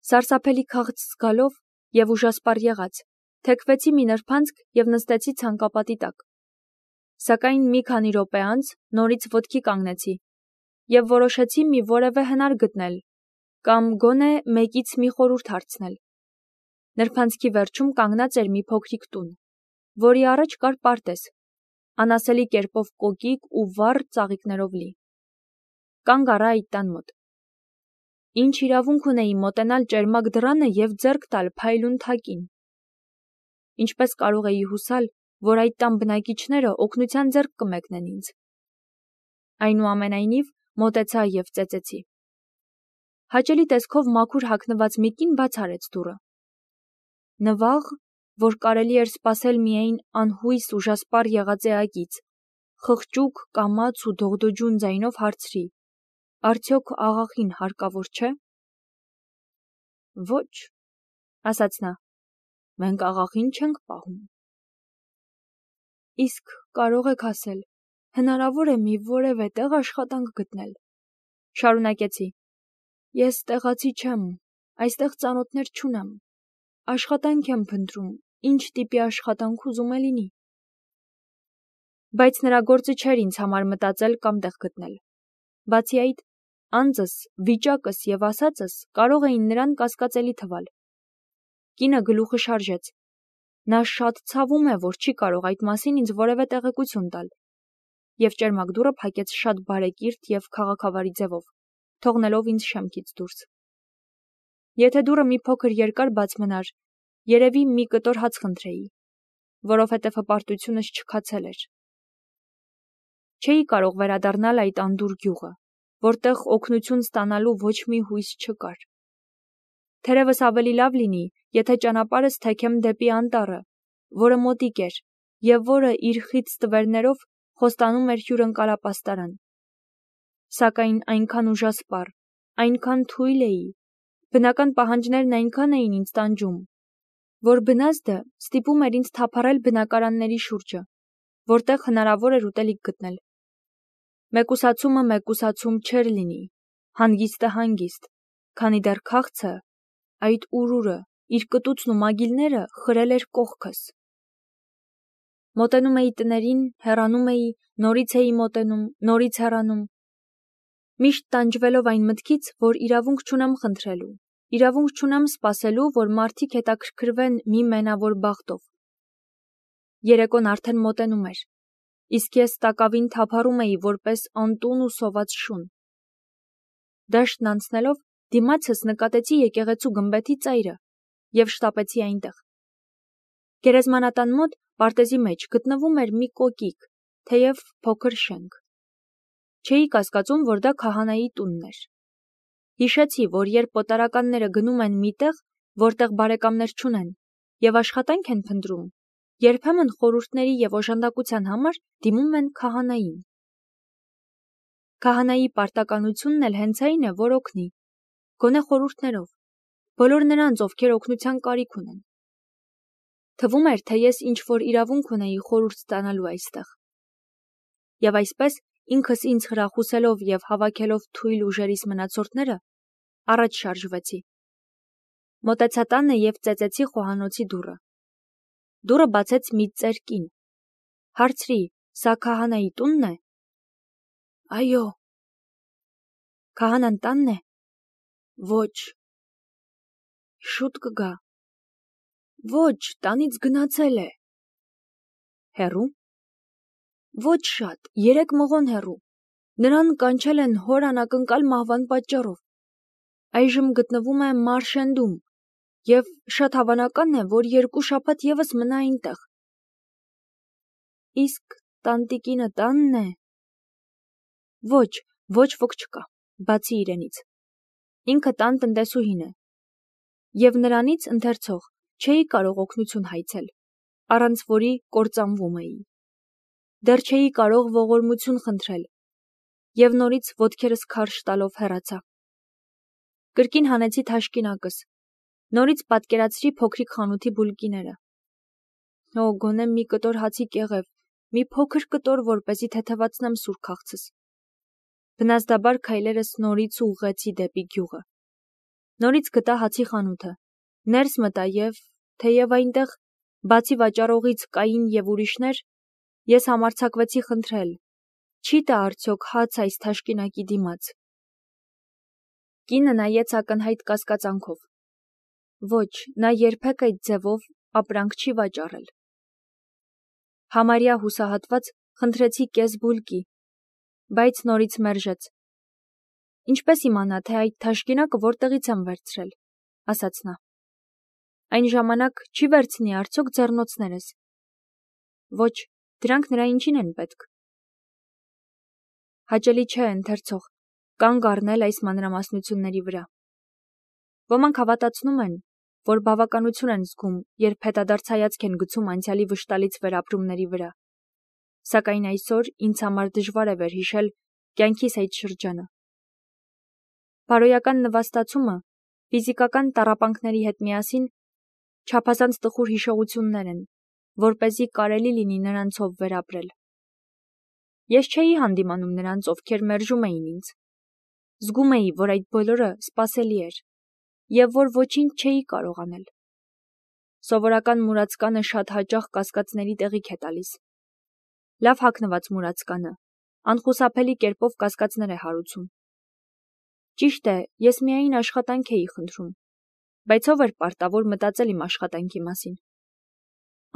Սարսափելի քաղց զգալով և ուժասպառ եղած, թեքվեցի մի նրբանցք և նստեցի ցանկապատի տակ։ Սակայն մի քանի րոպե անց նորից ոտքի կանգնեցի և որոշեցի մի որևէ հնար գտնել կամ գոնե մեկից մի խորհուրդ հարցնել։ Նրբանցքի վերջում կանգնած էր մի փոքրիկ տուն, որի առաջ կար պարտեզ, անասելի կերպով կոկիկ ու վառ ծաղիկներով լի։ Կանգ առա այդ տան մոտ։ Ինչ իրավունք ունեի մոտենալ ճերմակ դռանը և ձեռք տալ փայլուն թակին։ Ինչպես կարող էի հուսալ, որ այդ տան բնակիչները օգնության ձեռք կմեկնեն ինձ։ Այնուամենայնիվ մոտեցա և ծեծեցի։ Հաճելի տեսքով մաքուր հագնված մի կին բաց արեց դուռը։ Նվաղ, որ կարելի էր սպասել միայն անհույս ուժասպառ եղած էակից, խղճուկ, կամաց ու դողդոջուն ձայնով հարցրի. «Արդյոք աղախին հարկավոր չէ»։ «Ոչ», ասաց նա, «մենք աղախին չենք պահում»։ «Իսկ կարող եք ասել, հնարավոր է մի որևէ տեղ աշխատանք գտնել»։ Շարունակեցի. «Ես տեղացի չեմ, այստեղ ծանոթներ չունեմ, աշխատանք եմ փնտրում, ինչ տիպի աշխատանք ուզում է լինի»։ Բայց նրա գործը չէր ինձ համար մտածել կամ տեղ գտնել։ Բացի այդ, անձս, վիճակս և ասածս կարող էին նրան կասկածելի թվալ։ Կինը գլուխը շարժեց։ Նա շատ ցավում է, որ չի կարող այդ մասին ինձ որևէ տեղեկություն տալ, և ճերմակ դուռը փակեց շատ բարեկիրթ և քաղաքավարի ձևով, թողնելով ինձ շեմքից դուրս։ Եթե դուռը մի փոքր երկար բաց մնար, երևի մի կտոր հաց խնդրեի, որովհետև հպարտությունս չքացել էր։ Չէի կարող վերադառնալ այդ անդուր գյուղը, որտեղ օգնություն ստանալու ոչ մի հույս չկար։ Թերևս ավելի լավ լինի, եթե ճանապարհս թեքեմ դեպի անտառը, որը մոտիկ էր և որը իր խիտ ստվերներով խոստանում էր հյուրընկալապաստարան։ Սակայն այնքան ուժասպառ, այնքան թույլ էի, բնական պահանջներն այնքան էին ինձ տանջում, որ բնազդը ստիպում էր ինձ թափառել բնակարանների շուրջը, որտեղ հնարավոր էր ուտելիք գտնել։ Մեկուսացումը մեկուսացում չէր լինի, հանգիստը հանգիստ, քանի դեռ քաղցը, այդ ուրուրը, իր կտուցն ու մագիլները խրել էր կողքս։ Մոտենում էի տներին, հեռանում էի, նորից էի մոտենում, նորից հեռանում, միշտ տանջվելով այն մտքից, որ իրավունք չունեմ խնդրելու, իրավունք չունեմ սպասելու, որ մարդիկ հետաքրքրվեն մի մենավոր բախտով։ Երեկոն արդեն մոտենում էր, իսկ ես տակավին թափառում էի որպես անտուն ու սոված շուն։ Դաշտն անցնելով դիմացս նկատեցի եկեղեցու գմբեթի ծայրը և շտապեցի այնտեղ։ Գերեզմանատան մոտ պարտեզի մեջ գտնվում էր մի կոկիկ, թեև փոքր շենք։ Չէի կասկածում, որ դա քահանայի տունն էր։ Հիշեցի, որ երբ պոտարականները գնում են մի տեղ, որտեղ բարեկամներ չունեն, և աշխատանք են փնտրում, երբեմն խորհուրդների և օժանդակության համար դիմում են քահանային։ Քահանայի պարտականությունն էլ հենց այն է, որ օգնի, գոնե խորհուրդներով, բոլոր նրանց, ովքեր օգնության կարիք ունեն։ Թվում էր, թե ես ինչ-որ իրավունք ունեի խորհուրդ ստանալու այստեղ։ Եվ այսպես, ինքս ինձ խրախուսելով և հավաքելով թույլ ուժերիս մնացորդները, առաջ շարժվեցի։ Մոտեցա տանը և ծեծեցի խոհանոցի դուռը։ Դուռը բացեց մի ծեր կին։ Հարցրի. «Սա քահանայի տունն է»։ «Այո»։ «Քահանան տանն է»։ «Ոչ»։ «Շուտ կգա»։ «Ոչ, տանից գնացել է»։ «Հեռու»։ «Ոչ շատ, 3 մղոն հեռու։ Նրան կանչել են հոր անակնկալ մահվան պատճառով։ Այժմ գտնվում է Մարշենդում և շատ հավանական է, որ 2 շաբաթ ևս մնա այնտեղ»։ «Իսկ տանտիկինը տանն է»։ «Ոչ, ոչ ոք չկա, բացի իրենից։ Ինքը տան տնտեսուհին է։ Եվ նրանից ընթերցող չէի կարող օգնություն հայցել, առանց որի կործանվում էի։ Դեռ չէի կարող ողորմություն խնդրել, և նորից ոտքերս քարշ տալով հեռացա։ Կրկին հանեցի թաշկինակս, նորից պատկերացրի փոքրիկ խանութի բուլկիները։ Օ, գոնե մի կտոր հացի կեղև, մի փոքր կտոր, որպեսզի թեթևացնեմ սուր քաղցս։ Բնազդաբար քայլերս նորից ուղղեցի դեպի գյուղը։ Նորից գտա հացի խանութը, ներս մտա և, թեև այնտեղ, բացի վաճառողից կային և ուրիշներ, ես համարձակվեցի խնդրել. չի տա արդյոք հաց այս թաշկինակի դիմաց։ Կինը նայեց ակնհայտ կասկածանքով։ Ոչ, նա երբեք այդ ձևով ապրանք չի վաճառել։ Համարյա հուսահատված խնդրեցի կես բուլկի, բայց նորից մերժեց։ Ինչպես իմանա, թե այդ թաշկինակը որտեղից եմ վերցրել, ասաց նա։ Այն ժամանակ չի վերցնի արդյոք ձեռնոցներս։ Ոչ, դրանք նրա ինչին են պետք։ Հաճելի չէ ընթերցող կանգ առնել այս մանրամասնությունների վրա։ Ոմանք հավատացնում են, որ բավականություն են զգում, երբ հետադարձ հայացք են գցում անցյալի վշտալից վերապրումների վրա։ Սակայն այսօր ինձ համար դժվար է վերհիշել կյանքիս այդ շրջանը։ Բարոյական նվաստացումը, ֆիզիկական տառապանքների հետ միասին, չափազանց տխուր հիշողություններ են, որպեսզի կարելի լինի նրանցով վերապրել։ Ես չէի հանդիմանում նրանց, ովքեր մերժում էին ինձ։ Զգում էի, որ այդ բոլորը սպասելի էր, և որ ոչինչ չէի կարող անել։ Սովորական մուրացկանը շատ հաճախ կասկածների տեղիք է տալիս։ Լավ հագնված մուրացկանը անխուսափելի կերպով կասկածներ է հարուցում։ Ճիշտ է, ես միայն աշխատանք էի խնդրում, բայց ով էր պարտավոր մտածել իմ աշխատանքի մասին։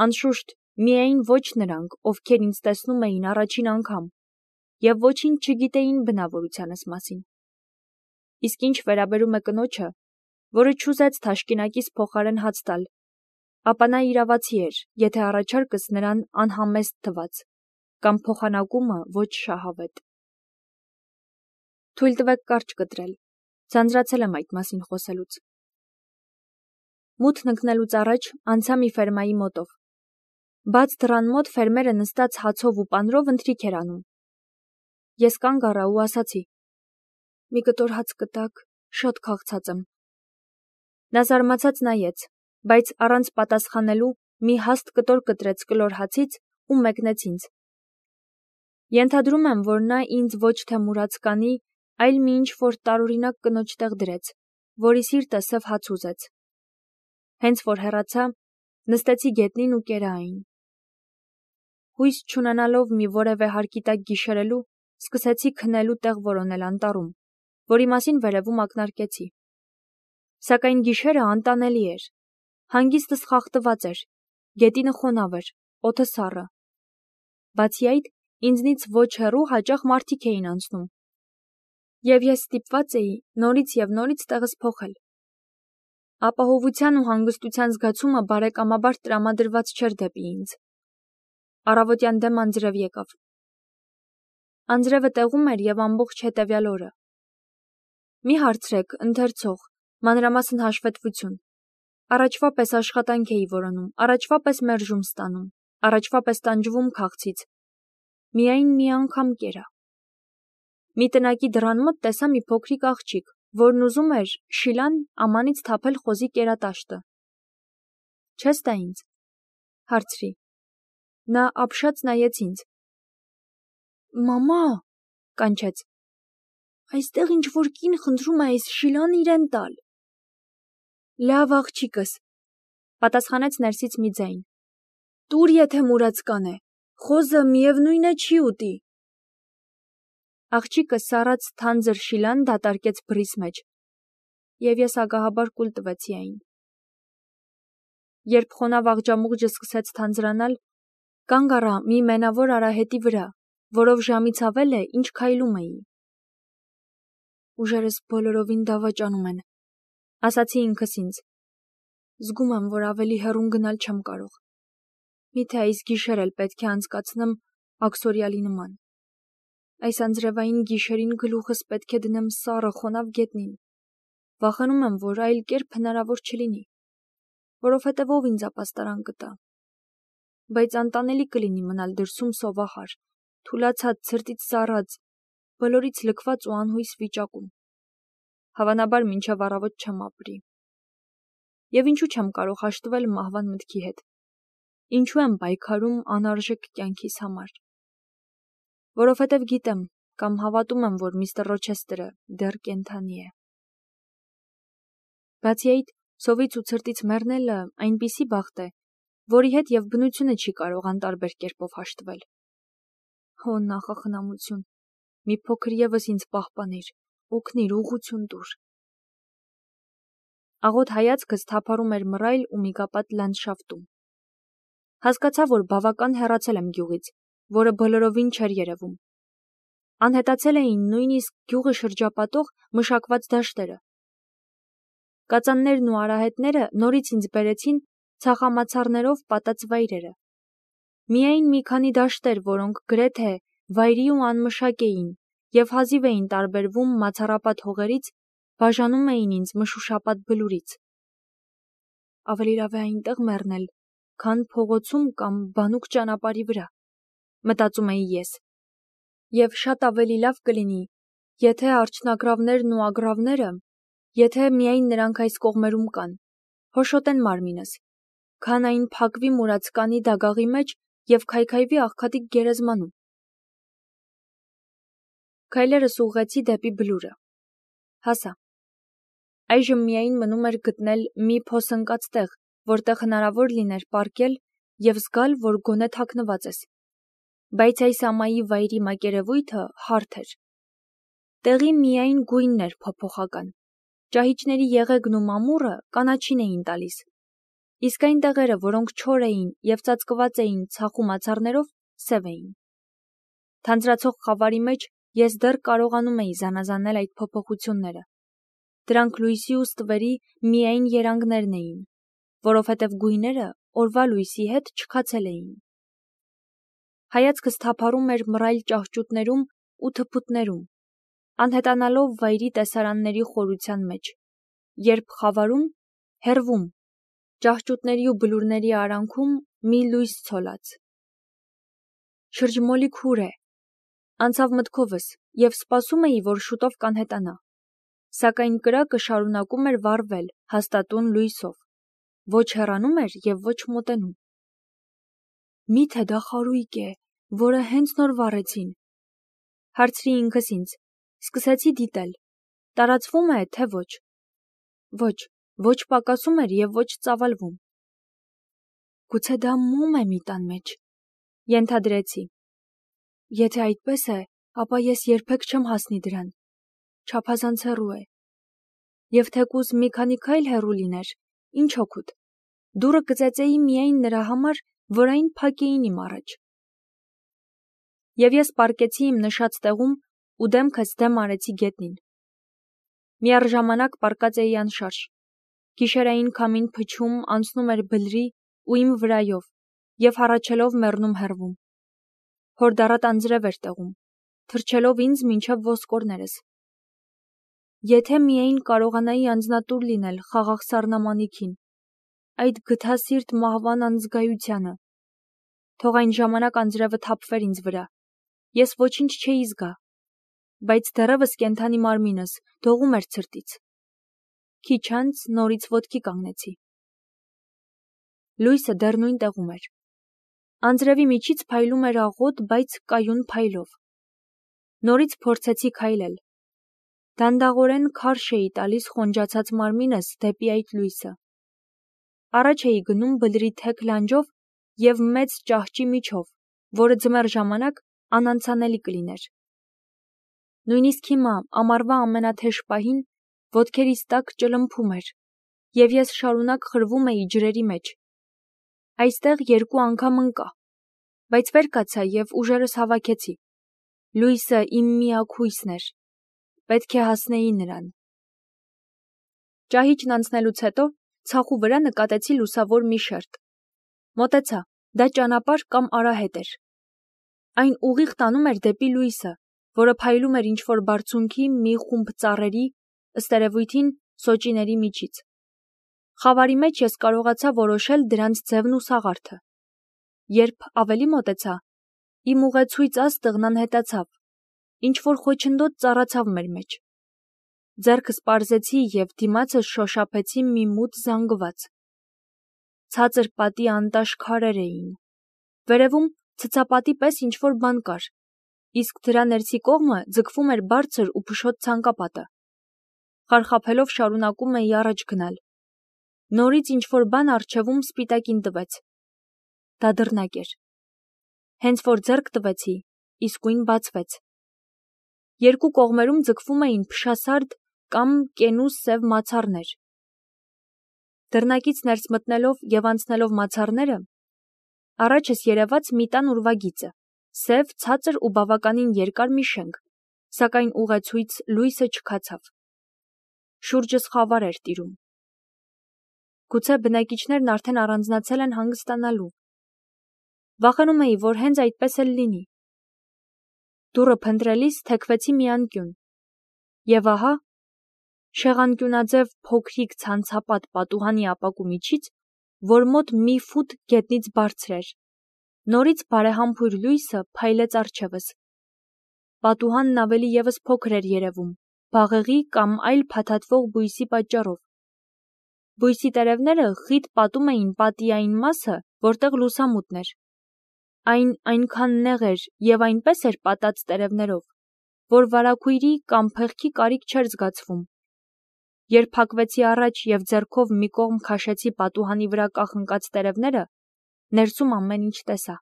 Անշուշտ, միայն ոչ նրանք, ովքեր ինձ տեսնում էին առաջին անգամ, և ոչինչ չգիտեին բնավորությանս մասին։ Իսկ ինչ վերաբերում է կնոջը, որը չուզեց թաշկինակիս փոխարեն հաց տալ, ապա նա իրավացի էր, եթե առաջարկս նրան անհամեստ թվաց, կամ փոխանակումը ոչ շահավետ։ Թույլ տվեք կարճ կտրել, ձանձրացել եմ այդ մասին խոսելուց։ Մութն ընկնելուց առաջ անցա մի ֆերմայի մոտով։ Բաց դռան մոտ ֆերմերը նստած հացով ու պանրով ընթրիք էր անում։ Ես կանգ առա ու ասացի. մի կտոր հաց կտաք, շատ քաղցած եմ։ Նա զարմացած նայեց, բայց առանց պատասխանելու մի հաստ կտոր կտրեց կլոր հացից ու մեկնեց ինձ։ Ենթադրում եմ, որ նա ինձ ոչ թե մուրացկանի, այլ մի ինչ-որ տարօրինակ կնոջ տեղ դրեց, որի սիրտը սև հաց ուզեց։ Հենց որ հեռացա, նստեցի գետնին ու կերա այն։ Հույս չունենալով մի որևէ հարկի տակ գիշերելու, սկսեցի քնելու տեղ որոնել անտառում, որի մասին վերևում ակնարկեցի։ Սակայն գիշերը անտանելի էր։ Հանգիստս խախտված էր, գետինը խոնավ էր, օդը սառը։ Բացի այդ, ինձնից ոչ հեռու հաճախ մարդիկ էին անցնում, և ես ստիպված էի նորից և նորից տեղս փոխել։ Ապահովության ու հանգստության զգացումը բարեկամաբար տրամադրված չէր դեպի ինձ։ Առավոտյան դեմ անձրև եկավ։ Անձրևը տեղում էր և ամբողջ հետևյալ օրը։ Մի հարցրեք, ընթերցող, մանրամասն հաշվետվություն։ Առաջվա պես աշխատանք էի որոնում, առաջվա պես մերժում ստանում, առաջվա պես տանջվում քաղցից։ Միայն մի անգամ կերա։ Մի տնակի դռան մոտ տեսա մի փոքրիկ աղջիկ, որն ուզում էր շիլան ամանից թափել խոզի կերատաշտը։ Չես տա ինձ, հարցրի։ Նա ապշած նայեց ինձ։ Մամա, կանչեց։ Այստեղ ինչ-որ կին խնդրում է այս շիլան իրեն տալ։ Լավ աղջիկս, պատասխանեց ներսից մի ձայն։ Տուր, եթե մուրացկան է, խոզը միևնույն է չի ուտի։ Աղջիկը սառած թանձր շիլան դատարկեց բռիս մեջ, և ես ագահաբար կուլ տվեցի այն։ Երբ խոնավ աղջամուղջը սկսեց թանձրանալ, կանգ առա մի մենավոր արահետի վրա, որով ժամից ավել է, ինչ քայլում էի։ Ուժերս բոլորովին դավաճանում են, ասացի ինքս ինձ։ Զգում եմ, որ ավելի հեռուն գնալ չեմ կարող։ Միթե այս գիշեր էլ պետք է անցկացնեմ աքսորիալի նման։ Այս անձրևային գիշերին գլուխս պետք է դնեմ սառը խոնավ գետնին։ Վախենում եմ, որ այլ կերպ հնարավոր չլինի, որովհետև ով ինձ ապաստարան կտա։ Բայց անտանելի կլինի մնալ դրսում սովահար, թուլացած, ցրտից սառած, բոլորից լքված ու անհույս վիճակում։ Հավանաբար մինչև առավոտ չեմ ապրի։ Եվ ինչու չեմ կարող հաշտվել մահվան մտքի հետ։ Ինչու եմ պայքարում անարժեք կյանքիս համար։ Որովհետև գիտեմ կամ հավատում եմ, որ միստր Ռոչեսթերը դեռ կենդանի է։ Բացի այդ, սովից ու ցրտից մեռնելը այնպիսի բախտ է, որի հետ եւ բնությունը չի կարող անտարբեր կերպով հաշտվել։ Հո նախախնամություն, մի փոքր եւս ինձ պահպանիր, օգնիր, ուղղություն տուր։ Աղոտ հայացքս թափառում էր մռայլ ու միգապատ լանդշաֆտում։ Հասկացա, որ բավական հեռացել եմ գյուղից, որը բոլորովին չէր երևում։ Անհետացել էին նույնիսկ գյուղը շրջապատող մշակված դաշտերը։ Կածաններն ու արահետները նորից ինձ բերեցին ցախամացառներով պատած վայրերը։ Միայն մի քանի դաշտեր, որոնք գրեթե վայրի ու անմշակ էին եւ հազիվ էին տարբերվում մացառապատ հողերից, բաժանում էին ինձ մշուշապատ բլուրից։ Ավելի լավ է այնտեղ մեռնել, քան փողոցում կամ բանուկ ճանապարհի վրա, մտածում էի ես։ Եվ շատ ավելի լավ կլինի, եթե արջնագռավներն ու ագռավները, եթե միայն նրանք այս կողմերում կան, հոշոտեն մարմինս, քան այն փակվի մուրաց կանի դագաղի մեջ եւ քայքայվի աղքատիկ գերեզմանում։ Քայլերս ուղղեցի դեպի բլուրը։ Հասա։ Այժմ միայն մնում էր գտնել մի փոսընկած տեղ, որտեղ հնարավոր լիներ պառկել եւ զգալ, որ գոնե թաքնված ես։ Բայց այս ամայի վայրի մակերևույթը հարթ էր։ Տեղի միայն գույնն էր փոփոխական։ Ճահիճների եղեգն ու մամուռը կանաչին էին տալիս։ Իսկ այն տեղերը, որոնք չոր էին եւ ծածկված էին ցախու մացառներով, սև էին։ Թանձրացող խավարի մեջ ես դեռ կարողանում էի զանազանել այդ փոփոխությունները։ Դրանք լույսի ու ստվերի միայն երանգներն էին, որովհետև գույները օրվա լույսի հետ չքացել էին։ Հայացքս թափառում էր մռայլ ճահճուտներում ու թփուտներում, անհետանալով վայրի տեսարանների խորության մեջ, երբ խավարում, հեռվում, ճահճուտների ու բլուրների արանքում մի լույս ցոլած։ Շրջմոլիկ հուր է, անցավ մտքովս եւ սպասում էի, որ շուտով կանհետանա։ Սակայն կրակը շարունակում էր վառվել հաստատուն լույսով, ոչ հեռանում էր եւ ոչ մոտենում։ Միթե դա խարույկ է, որը հենց նոր վառեցին, հարցրի ինքս ինձ, սկսեցի դիտել, տարածվում է, թե ոչ։ Ոչ պակասում էր եւ ոչ ծավալվում։ Գուցե դա մոմ է մի տան մեջ, ենթադրեցի։ Եթե այդպես է, ապա ես երբեք չեմ հասնի դրան, չափազանց հեռու է։ Եվ թեկուզ մի քանի քայլ հեռու լիներ, ինչ օգուտ, դուռը կծեծեի միայն նրա համար, որ այն փակեին իմ առաջ։ Եվ ես պառկեցի իմ նշած տեղում ու դեմքս դեմ արեցի գետնին։ Միառժամանակ պառկած էի անշարժ։ Գիշերային քամին փչում անցնում էր բլրի ու իմ վրայով եւ հառաչելով մեռնում հեռվում։ Հորդառատ անձրև էր տեղում, թրջելով ինձ մինչև ոսկորներս։ Եթե միայն կարողանայի անձնատուր լինել խաղաղ սառնամանիքին, այդ գթասիրտ մահվան անզգայությանը, թող այն ժամանակ անձրևը թափվեր ինձ վրա, ես ոչինչ չէի զգա, բայց դեռևս կենդանի մարմինս դողում էր ցրտից։ Քիչ անց նորից ոտքի կանգնեցի։ Լույսը դեռ նույն տեղում էր։ Անձրևի միջից փայլում էր աղոտ, բայց կայուն փայլով։ Նորից փորձեցի քայլել։ Դանդաղորեն քարշ էի տալիս խոնջացած մարմինս դեպի այդ լույսը։ Առաջ էի գնում բլրի թեք լանջով եւ մեծ ճահճի միջով, որը ձմեռ ժամանակ անանցանելի կլիներ։ Նույնիսկ հիմա, ամառվա ամենաթեժ պահին, ոտքերիս տակ ճլմփում էր, եւ ես շարունակ խրվում էի ջրերի մեջ։ Այստեղ 2 անգամ ընկա, բայց վեր կացա եւ ուժերս հավաքեցի։ Լույսը իմ միակ հույսն էր։ Պետք է հասնեի նրան։ Ճահիճն անցնելուց հետո ցախու վրա նկատեցի լուսավոր մի շերտ։ Մոտեցա, դա ճանապարհ կամ արահետ էր։ Այն ուղիղ տանում էր դեպի լույսը, որը փայլում էր ինչ-որ բարձունքի մի խումբ ծառերի, ըստ երևույթին սոճիների միջից։ Խավարի մեջ ես կարողացա որոշել դրանց ձևն ու սաղարթը։ Երբ ավելի մոտեցա, իմ ուղեցույց աստղն անհետացավ, ինչ-որ խոչընդոտ ծառացավ մեր մեջ։ Ձեռքս պարզեցի եւ դիմացս շոշափեցի մի մութ զանգված։ Ցածր պատի անտաշ քարեր էին։ Վերևում ցցապատի պես ինչ-որ բան կար, իսկ դրա ներսի կողմը ձգվում էր բարձր ու փշոտ ցանկապատը։ խարխափելով շարունակում էի առաջ գնալ։ Նորից ինչ-որ բան առջևում սպիտակին տվեց։ Դա դռնակ էր։ Հենց որ ձեռք տվեցի, իսկույն բացվեց։ Երկու կողմերում ձգվում էին փշասարդ կամ կենու սև մացառներ։ Դռնակից ներս մտնելով և անցնելով մացառները, առաջս երևաց մի տան ուրվագիծը, սև, ցածր ու բավականին երկար մի շենք, սակայն ուղեցույց լույսը չքացավ։ Շուրջս խավար էր տիրում։ Գուցե բնակիչներն արդեն առանձնացել են հանգստանալու։ Վախենում էի, որ հենց այդպես էլ լինի։ Դուռը փնտրելիս թեքվեցի մի անկյուն։ Եվ ահա, շեղանկյունաձև փոքրիկ ցանցապատ պատուհանի ապակու միջից, որ մոտ մի ֆուտ գետնից բարձր էր, նորից բարեհամբույր լույսը փայլեց առջևս։ Պատուհանն ավելի ևս փոքր էր երևում, բաղեղի կամ այլ փաթաթվող բույսի պատճառով։ Բույսի տերևները խիտ պատում էին պատի այն մասը, որտեղ լուսամուտն էր։ Այն այնքան նեղ էր և այնպես էր պատած տերևներով, որ վարագույրի կամ փեղկի կարիք չէր զգացվում։ Երբ փակվեցի առաջ և ձեռքով մի կողմ քաշեցի պատուհանի վրա կախնկած տերևները, ներսում ամեն ինչ տեսա։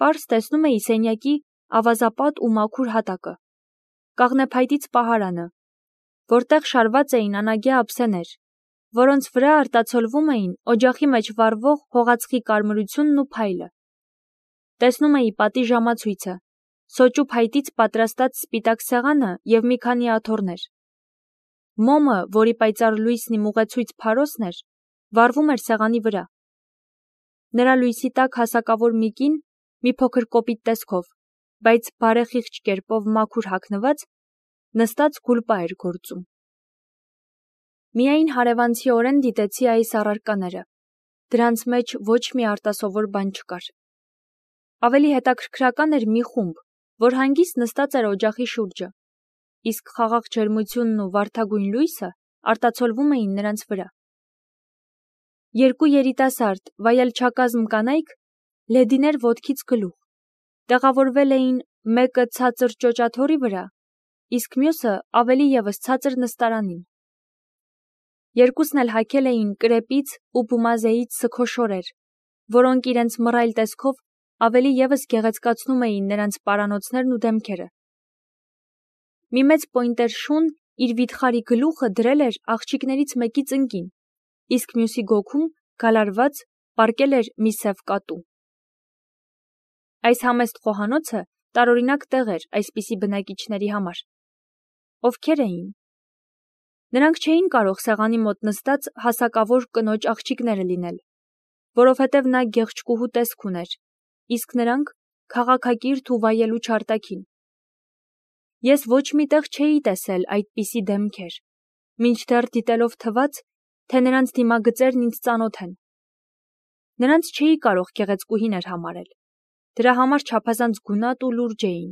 Պարզ տեսնում էի սենյակի ավազապատ ու մաքուր հատակը, կաղնեփայտից պահարանը, որտեղ շարված էին անագյա ափսեներ, որոնց վրա արտացոլվում էին օջախի մեջ վառվող հողածխի կարմրությունն ու փայլը։ Տեսնում էի պատի ժամացույցը, սոճու փայտից պատրաստած սպիտակ սեղանը և մի քանի աթոռներ։ Մոմը, որի պայծառ լույսն իմ ուղեցույց փարոսն էր, վառվում էր սեղանի վրա։ Նրա լույսի տակ հասակավոր մի կին, մի փոքր կոպիտ տեսքով, բայց բարեխիղճ կերպով մաքուր հագնված, նստած գուլպա էր գործում։ Միայն հարևանցիորեն դիտեցի այս առարկաները։ Դրանց մեջ ոչ մի արտասովոր բան չկար։ Ավելի հետաքրքրական էր մի խումբ, որ հանգիստ նստած էր օջախի շուրջը, իսկ խաղաղ ջերմությունն ու վարդագույն լույսը արտացոլվում էին նրանց վրա։ Երկու երիտասարդ, վայելչակազմ կանայք, լեդիներ ոտքից գլուխ, տեղավորվել էին մեկը ցածր ճոճաթոռի վրա, իսկ մյուսը ավելի ևս ցածր նստարանին։ Երկուսն էլ հագել էին կրեպից ու բումազեից սգոշորեր, որոնք իրենց մռայլ տեսքով ավելի ևս գեղեցկացնում էին նրանց պարանոցներն ու դեմքերը։ Մի մեծ պոյնտեր շուն իր վիթխարի գլուխը դրել էր աղջիկներից մեկի ծնկին, իսկ մյուսի գոգում, գալարված, պառկել էր մի սև կատու։ Այս համեստ խոհանոցը տարօրինակ տեղ էր այսպիսի բնակիչների համար։ Ովքեր էին։ Նրանք չէին կարող սեղանի մոտ նստած հասակավոր կնոջ աղջիկները լինել, որովհետև նա գեղչկուհու տեսք ուներ, իսկ նրանք քաղաքակիրթ ու վայելուչ արտաքին։ Ես ոչ մի տեղ չէի տեսել այդպիսի դեմքեր, մինչդեռ դիտելով թվաց, թե նրանց դիմագծերն ինձ ծանոթ են։ Նրանց չէի կարող գեղեցկուհիներ համարել, դրա համար չափազանց գունատ ու լուրջ էին։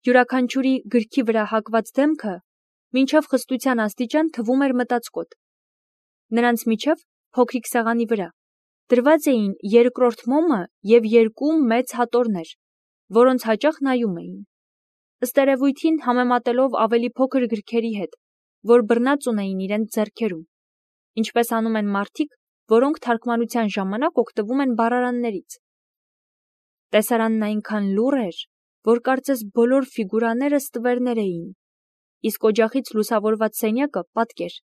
Յուրաքանչյուրի գրքի վրա հակված դեմքը մինչև խստության աստիճան թվում էր մտածկոտ։ Նրանց միջև, փոքրիկ սեղանի վրա, դրված էին երկրորդ մոմը և երկու մեծ հատորներ, որոնց հաճախ նայում էին, ըստ երևույթին համեմատելով ավելի փոքր գրքերի հետ, որ բռնած ունեին իրենց ձեռքերում, ինչպես անում են մարդիկ, որոնք թարգմանության ժամանակ օգտվում են բառարաններից։ Տեսարանն այնքան լուռ էր, որ կարծես բոլոր ֆիգուրաները ստվերներ էին, իսկ օջախից լուսավորված սենյակը պատկեր։